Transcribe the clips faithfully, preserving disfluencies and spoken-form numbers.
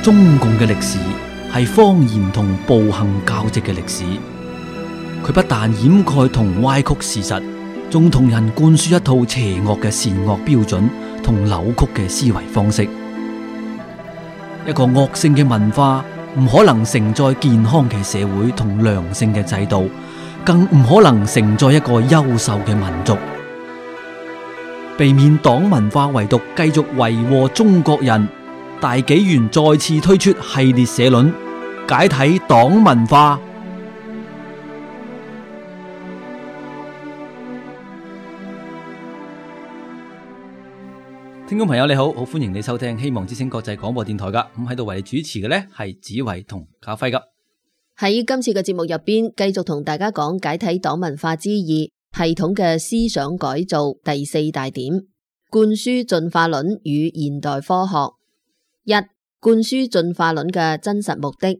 中共嘅歷史係謊言同暴行交織嘅歷史，佢不但掩蓋同歪曲事實，仲同人灌輸一套邪惡嘅善惡標準同扭曲嘅思維方式。一個惡性嘅文化唔可能承載健康嘅社會同良性嘅制度，更唔可能承載一個優秀嘅民族。避免黨文化遺毒繼續為禍中國人，大紀元再次推出系列社論，解體黨文化。聽眾朋友你好，好歡迎你收聽希望之聲國際廣播電台噶，咁喺度為你主持嘅呢係子維同家輝噶。喺今次嘅節目入邊，繼續同大家講解體黨文化之二。系統嘅思想改造第四大點，灌輸進化論與現代科學。一、灌輸進化論嘅真實目的，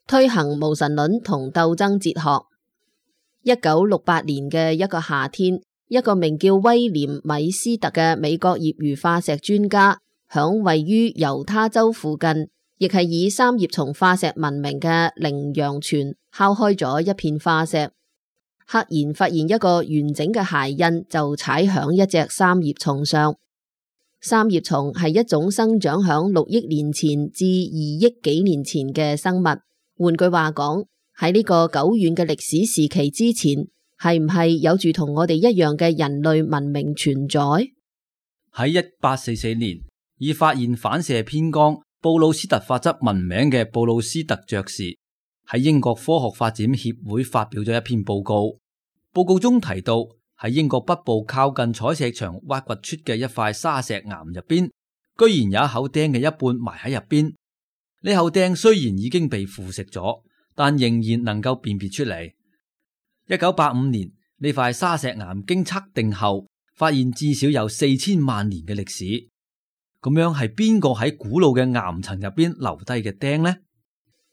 推行無神論同鬥爭哲學。一九六八年嘅一個夏天，一個名叫威廉米斯特嘅美國業餘化石專家，響位於猶他州附近，亦係以三葉蟲化石聞名嘅羚羊泉敲開咗一片化石。赫然發現一個完整嘅鞋印，就踩響一隻三葉蟲上。三葉蟲係一種生長響六億年前至二億幾年前嘅生物。換句話講，喺呢個久遠嘅歷史時期之前，係唔係有住同我哋一樣嘅人類文明存在？喺一八四四年，以發現反射偏光布魯斯特法則聞名嘅布魯斯特爵士喺英國科學發展協會發表咗一篇報告。報告中提到，喺英國北部靠近採石場挖掘出嘅一塊沙石岩入邊，居然有一口釘嘅一半埋喺入邊。呢口釘雖然已經被腐蝕咗，但仍然能夠辨別出嚟。一九八五年，呢塊沙石岩經測定後，發現至少有四千萬年嘅歷史。咁樣係邊個喺古老嘅岩層入邊留低嘅釘呢？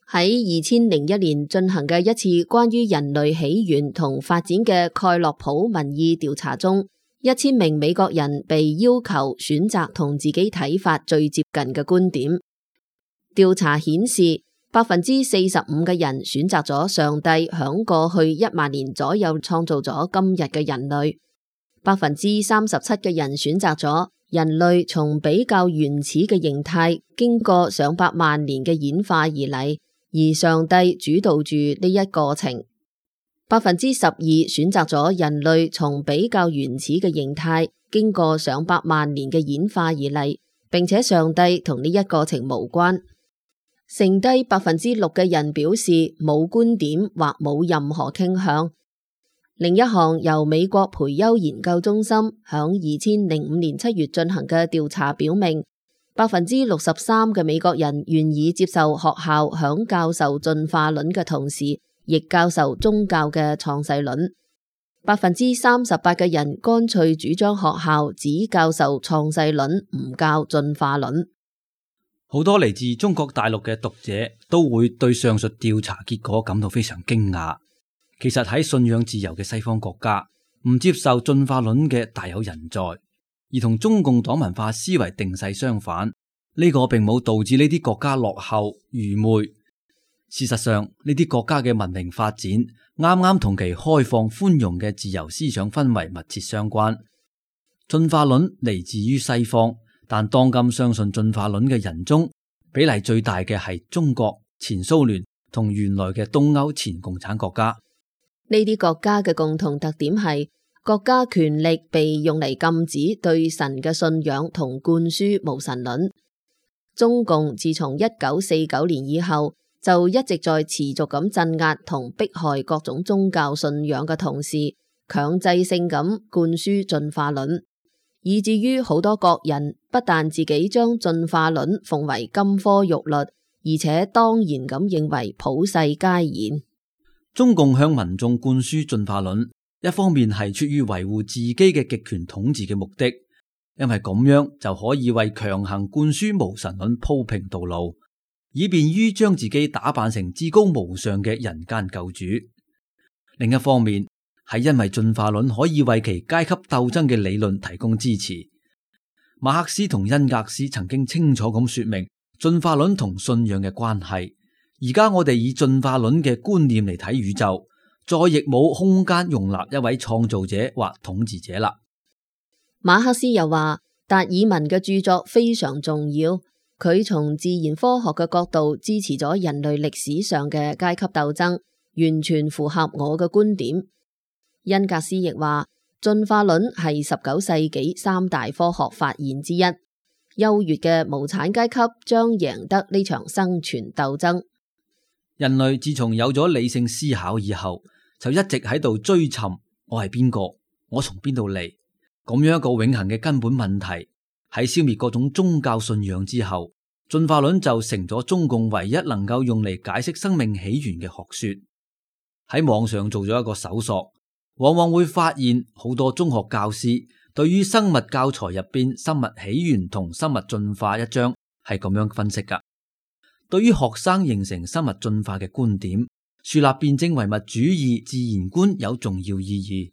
喺二千零一年進行嘅一次關於人類起源同發展嘅蓋洛普民意調查中，一千名美國人被要求選擇同自己睇法最接近嘅觀點。調查顯示，百分之四十五嘅人選擇咗上帝響過去一萬年左右創造咗今日嘅人類，百分之三十七嘅人選擇咗人類從比較原始嘅形態經過上百萬年嘅演化而嚟。而上帝主導住呢一過程，百分之十二選擇咗人類從比較原始嘅形態經過上百萬年嘅演化而嚟，並且上帝同呢一過程無關。剩低百分之六嘅人表示冇觀點或冇任何傾向。另一項由美國培優研究中心響二千零五年七月進行嘅調查表明，百分之六十三嘅美國人願意接受學校響教授進化論嘅同時，亦教授宗教嘅創世論。百分之三十八嘅人乾脆主張學校只教授創世論，唔教進化論。好多嚟自中國大陸嘅讀者都會對上述調查結果感到非常驚訝。其實喺信仰自由嘅西方國家，唔接受進化論嘅大有人在。而同中共黨文化思維定勢相反，呢個並冇導致呢啲國家落後愚昧。事實上，呢啲國家嘅文明發展啱啱同其開放寬容嘅自由思想氛圍密切相關。進化論嚟自於西方，但當今相信進化論嘅人中，比例最大嘅係中國、前蘇聯同原來嘅東歐前共產國家。呢啲國家嘅共同特點係，國家權力被用嚟禁止對神嘅信仰同灌輸無神論。中共自從一九四九年以後，就一直在持續咁鎮壓同迫害各種宗教信仰嘅同時，強制性咁灌輸進化論，以至於好多國人不但自己將進化論奉為金科玉律，而且當然咁認為普世皆然。中共向民眾灌輸進化論，一方面係出於維護自己嘅極權統治嘅目的，因為咁樣就可以為強行灌輸無神論鋪平道路，以便於將自己打扮成至高無上嘅人間救主。另一方面，係因為進化論可以為其階級鬥爭嘅理論提供支持。馬克思同恩格斯曾經清楚咁說明，進化論同信仰嘅關係。而家我哋以進化論嘅觀念嚟睇宇宙，再亦冇空間容納一位創造者或統治者啦。馬克思又話，達爾文嘅著作非常重要，佢從自然科學嘅角度支持咗人類歷史上嘅階級鬥爭，完全符合我嘅觀點。恩格斯亦話，進化論係十九世紀三大科學發現之一，優越嘅無產階級將贏得呢場生存鬥爭。人類自從有咗理性思考以後，就一直喺度追尋我係邊個，我從邊度嚟，咁樣一個永恆嘅根本問題。喺消滅各種宗教信仰之後，進化論就成咗中共唯一能夠用嚟解釋生命起源嘅學說。喺網上做咗一個搜索，往往會發現好多中學教師對於生物教材入邊生物起源同生物進化一章係咁樣分析噶。對於學生形成生物進化嘅觀點，樹立辯證唯物主義自然觀有重要意義。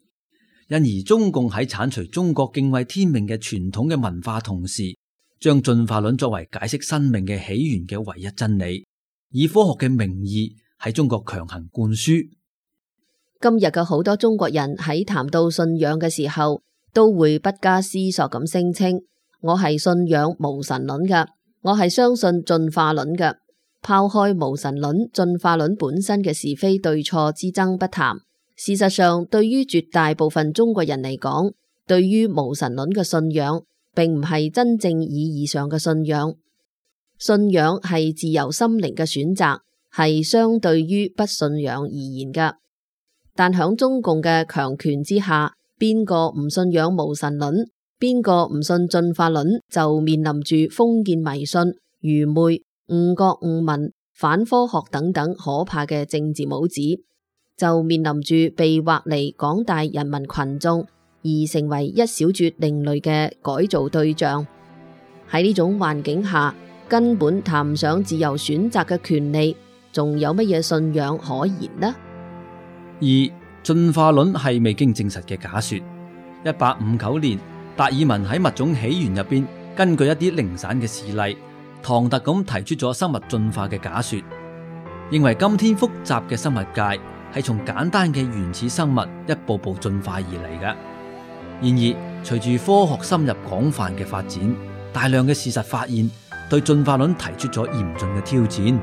因而中共喺鏟除中國敬畏天命嘅傳統嘅文化同時，將進化論作為解釋生命嘅起源嘅唯一真理，以科學嘅名義喺中國強行灌輸。今日嘅好多中國人喺談到信仰嘅時候，都會不加思索咁聲稱，我係信仰無神論嘅，我係相信進化論嘅，拋開無神論、進化論本身嘅是非對錯之爭不談。事實上，對於絕大部分中國人嚟講，對於無神論嘅信仰，並唔係真正意義上嘅信仰。信仰係自由心靈嘅選擇，係相對於不信仰而言嘅。但響中共嘅強權之下，邊個唔信仰無神論，邊個唔信進化論，就面臨住封建迷信、愚昧、誤國誤民、反科學等等可怕嘅政治帽子，就面臨住被劃離廣大人民群眾，而成為一小撮另類嘅改造對象。喺呢種環境下，根本談唔上自由選擇嘅權利，仲有乜嘢信仰可言呢？而進化論係未經證實嘅假說。一八五九年，達爾文喺物種起源入邊，根據一啲零散嘅事例，唐突咁提出咗生物進化嘅假說，認為今天複雜嘅生物界係從簡單嘅原始生物一步步進化而嚟嘅。然而，隨住科學深入廣泛嘅發展，大量嘅事實發現，對進化論提出咗嚴峻嘅挑戰。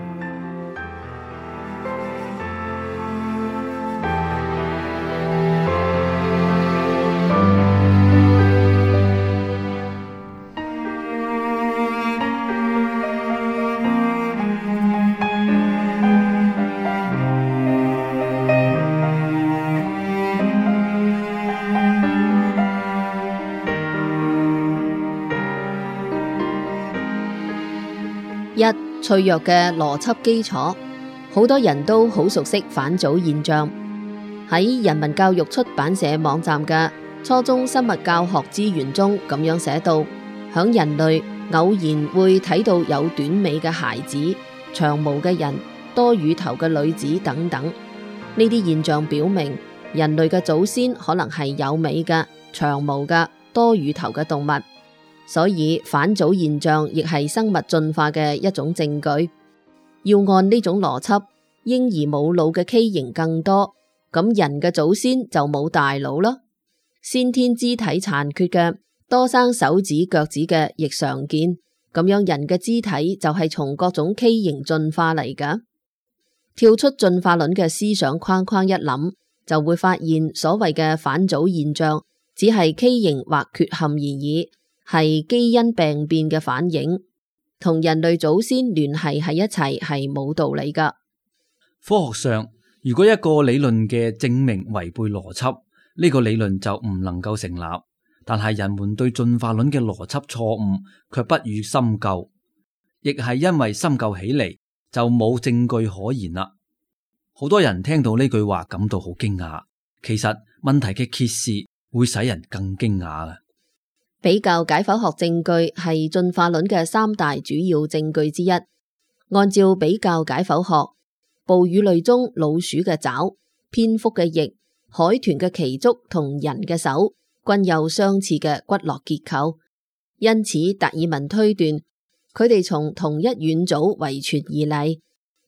一、脆弱嘅邏輯基礎，好多人都好熟悉返祖現象。喺人民教育出版社網站嘅初中生物教學資源中咁樣寫到，響人類偶然會睇到有短尾嘅孩子、長毛嘅人、多乳頭嘅女子等等。呢啲現象表明，人類嘅祖先可能係有尾嘅、長毛嘅、多乳頭嘅動物。所以返祖現象亦係生物進化嘅一種證據。要按呢種邏輯，嬰兒冇腦嘅畸形更多，咁人嘅祖先就冇大腦啦。先天肢體殘缺嘅、多生手指腳趾嘅亦常見，咁樣人嘅肢體就係從各種畸形進化嚟㗎。跳出進化論嘅思想框框一諗，就會發現所謂嘅返祖現象只係畸形或缺陷而已，係基因病變嘅反應，同人類祖先聯繫喺一齊係冇道理噶。科學上，如果一個理論嘅證明違背邏輯，呢個理論就唔能夠成立。但係人們對進化論嘅邏輯錯誤卻不予深究，亦係因為深究起嚟就冇證據可言啦。好多人聽到呢句話感到好驚訝，其實問題嘅揭示會使人更驚訝嘅。比較解剖學證據係進化論嘅三大主要證據之一。按照比較解剖學，哺乳類中老鼠嘅爪、蝙蝠嘅翼、海豚嘅鰭足同人嘅手均有相似嘅骨骼結構，因此達爾文推斷佢哋從同一軟組遺傳而嚟，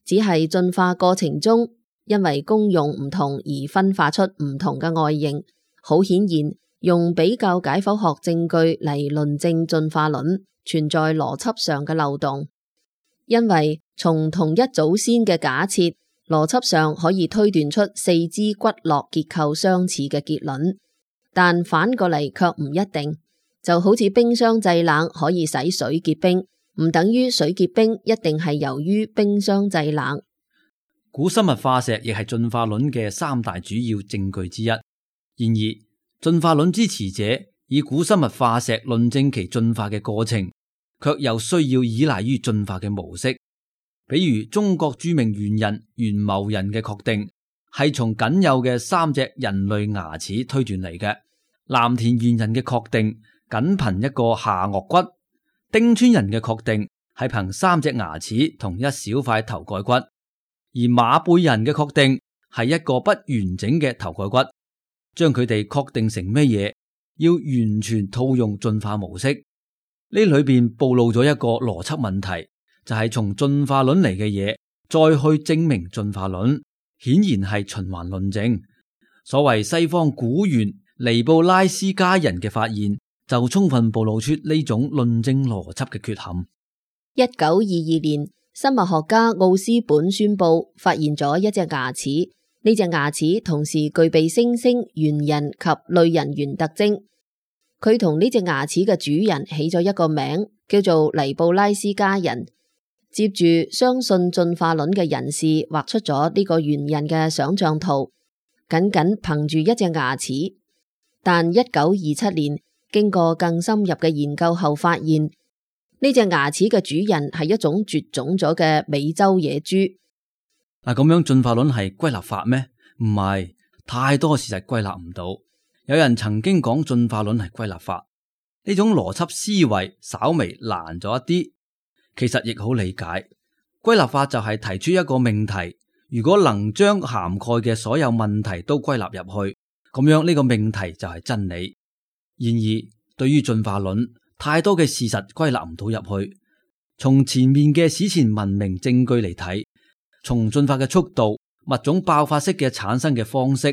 只係進化過程中因為功用唔同而分化出唔同嘅外形。好顯然，用比較解剖學證據嚟論證進化論存在邏輯上嘅漏洞，因為從同一祖先嘅假設，邏輯上可以推斷出四肢骨骼結構相似嘅結論，但反過嚟卻唔一定。就好似冰箱製冷可以使水結冰，唔等於水結冰一定係由於冰箱製冷。古生物化石亦係進化論嘅三大主要證據之一。然而，進化論支持者以古生物化石論證其進化嘅過程，卻又需要依賴於進化嘅模式。比如中國著名猿人玄謀人嘅確定係從僅有嘅三隻人類牙齒推斷嚟嘅，藍田猿人嘅確定僅憑一個下顎骨，丁川人嘅確定係憑三隻牙齒同一小塊頭蓋骨，而馬背人嘅確定係一個不完整嘅頭蓋骨。將佢哋確定成咩嘢，要完全套用進化模式。呢裏邊暴露咗一個邏輯問題，就係從進化論嚟嘅嘢再去證明進化論，顯然係循環論證。所謂西方古猿尼布拉斯加人嘅發現，就充分暴露出呢種論證邏輯嘅缺陷。一九二二年，生物學家奧斯本宣布發現咗一隻牙齒。呢隻牙齒同時具備猩猩、猿人及類人猿特徵。佢同呢隻牙齒嘅主人起咗一個名，叫做尼布拉斯加人。接住，相信進化論嘅人士畫出咗呢個猿人嘅想象圖，僅僅憑住一隻牙齒。但一九二七年，經過更深入嘅研究後，發現呢隻牙齒嘅主人係一種絕種咗嘅美洲野豬。嗱，咁樣進化論係歸納法咩？唔係，太多事實歸納唔到。有人曾經講進化論係歸納法，呢種邏輯思維稍微難咗一啲，其實亦好理解。歸納法就係提出一個命題，如果能將涵蓋嘅所有問題都歸納入去，咁樣呢個命題就係真理。然而，對於進化論，太多嘅事實歸納唔到入去。從前面嘅史前文明證據嚟睇，從進化嘅速度、物種爆發式嘅產生嘅方式、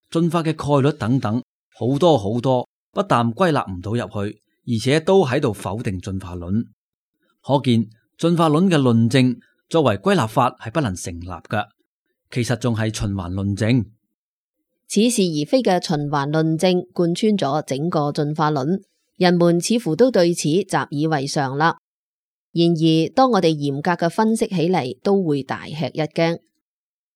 進化嘅概率等等，好多好多，不但歸納唔到入去，而且都喺度否定進化論。可見進化論嘅論證作為歸納法係不能成立嘅，其實仲係循環論證。似是而非嘅循環論證貫穿咗整個進化論，人們似乎都對此習以為常啦。然而，當我哋嚴格嘅分析起嚟，都會大吃一驚。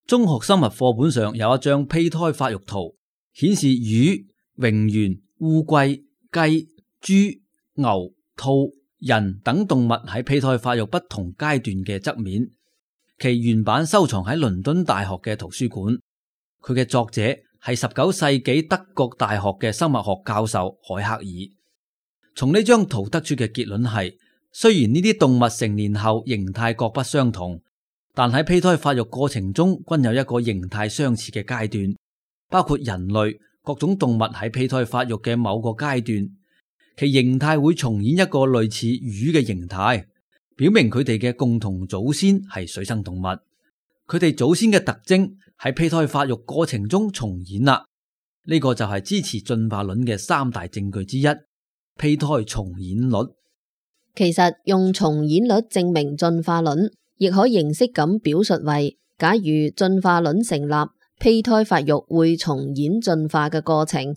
中學生物課本上有一張胚胎發育圖，顯示魚、蠑螈、烏龜、雞、豬、牛、兔、人等動物喺胚胎發育不同階段嘅側面。其原版收藏喺倫敦大學嘅圖書館。佢嘅作者係十九世紀德國大學嘅生物學教授海克爾。從呢張圖得出嘅結論係，雖然呢啲動物成年後形態各不相同，但喺胚胎發育過程中均有一個形態相似嘅階段，包括人類各種動物喺胚胎發育嘅某個階段，其形態會重演一個類似魚嘅形態，表明佢哋嘅共同祖先係水生動物。佢哋祖先嘅特徵喺胚胎發育過程中重演啦，呢個就係支持進化論嘅三大證據之一——胚胎重演率。其實用重演率證明進化論，亦可形式咁表述為：假如進化論成立，胚胎發育會重演進化嘅過程，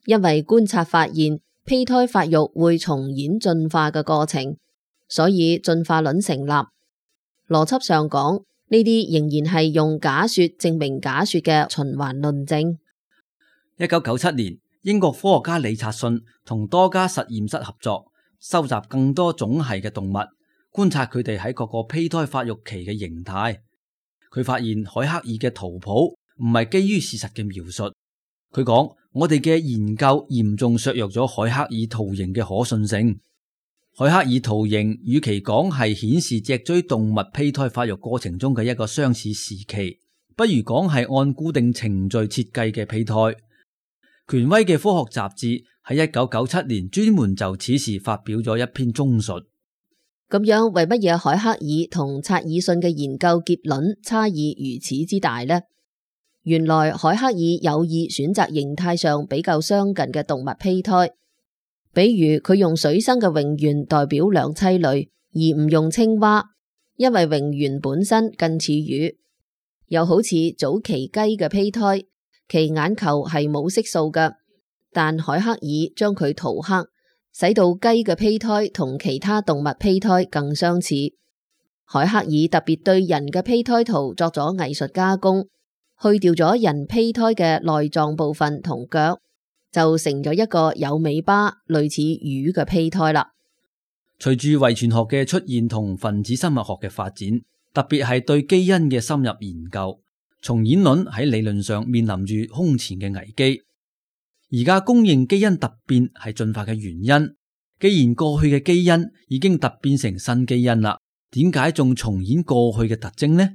因為觀察發現胚胎發育會重演進化嘅過程，所以進化論成立。邏輯上講，呢啲仍然係用假說證明假說嘅循環論證。一九九七年，英國科學家理察遜同多家實驗室合作，收集更多種系嘅動物，觀察佢哋喺各個胚胎發育期嘅形態。佢發現海克爾嘅圖譜唔係基於事實嘅描述。佢講：我哋嘅研究嚴重削弱咗海克爾圖形嘅可信性。海克爾圖形與其講係顯示脊椎動物胚胎發育過程中嘅一個相似時期，不如講係按固定程序設計嘅胚胎。權威嘅科學雜誌喺一九九七年專門就此事發表咗一篇綜述。咁樣為乜嘢海克爾同察爾遜嘅研究結論差異如此之大呢？原來海克爾有意選擇形態上比較相近嘅動物胚胎，比如佢用水生嘅蠑螈代表兩棲類，而唔用青蛙，因為蠑螈本身近似魚。又好似早期雞嘅胚胎，其眼球係冇色素嘅，但海克爾將佢塗黑，使到雞嘅胚胎同其他動物胚胎更相似。海克爾特別對人嘅胚胎圖作咗藝術加工，去掉咗人胚胎嘅內臟部分同腳，就成咗一個有尾巴類似魚嘅胚胎啦。隨住遺傳學嘅出現同分子生物學嘅發展，特別係對基因嘅深入研究，重演論喺理論上面臨住空前嘅危機。而家公認基因突變係進化嘅原因，既然過去嘅基因已經突變成新基因啦，點解仲重演過去嘅特徵呢？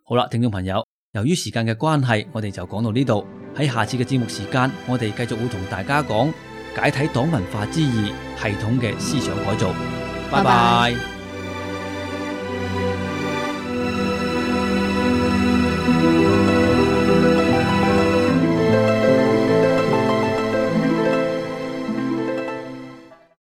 好啦，聽眾朋友，由於時間嘅關係，我哋就講到呢度。喺下次嘅節目時間，我哋繼續會同大家講解體黨文化之義系統嘅思想改造。拜拜。